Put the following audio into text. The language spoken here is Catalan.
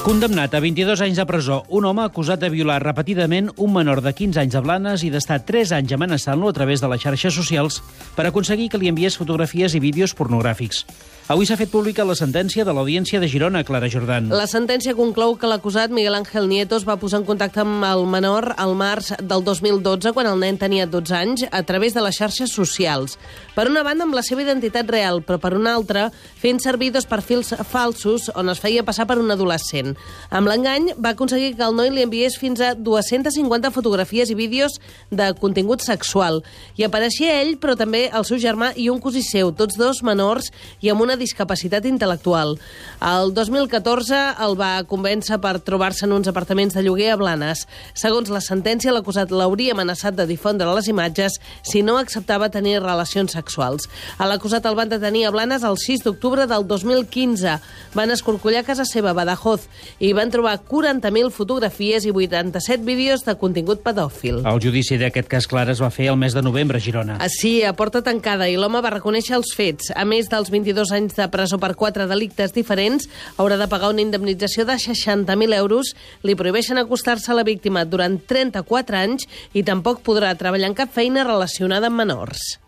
Condemnat a 22 anys de presó, un home acusat de violar repetidament un menor de 15 anys a Blanes i d'estar 3 anys amenaçant-lo a través de les xarxes socials per aconseguir que li enviés fotografies i vídeos pornogràfics. Avui s'ha fet pública la sentència de l'Audiència de Girona, Clara Jordan. La sentència conclou que l'acusat Miguel Ángel Nieto es va posar en contacte amb el menor al març del 2012, quan el nen tenia 12 anys, a través de les xarxes socials. Per una banda, amb la seva identitat real, però per una altra, fent servir dos perfils falsos on es feia passar per un adolescent. Amb l'engany, va aconseguir que el noi li enviés fins a 250 fotografies i vídeos de contingut sexual. I apareixia ell, però també el seu germà i un cosí seu, tots dos menors i amb una discapacitat intel·lectual. El 2014 el va convèncer per trobar-se en uns apartaments de lloguer a Blanes. Segons la sentència, l'acusat l'hauria amenaçat de difondre les imatges si no acceptava tenir relacions sexuals. A l'acusat el van detenir a Blanes el 6 d'octubre del 2015. Van escorcollar casa seva a Badajoz i van trobar 40.000 fotografies i 87 vídeos de contingut pedòfil. El judici d'aquest cas, Clara, es va fer el mes de novembre a Girona. Sí, a porta tancada, i l'home va reconèixer els fets. A més dels 22 anys de presó per 4 delictes diferents, haurà de pagar una indemnització de 60.000 euros, li prohibeixen acostar-se a la víctima durant 34 anys i tampoc podrà treballar en cap feina relacionada amb menors.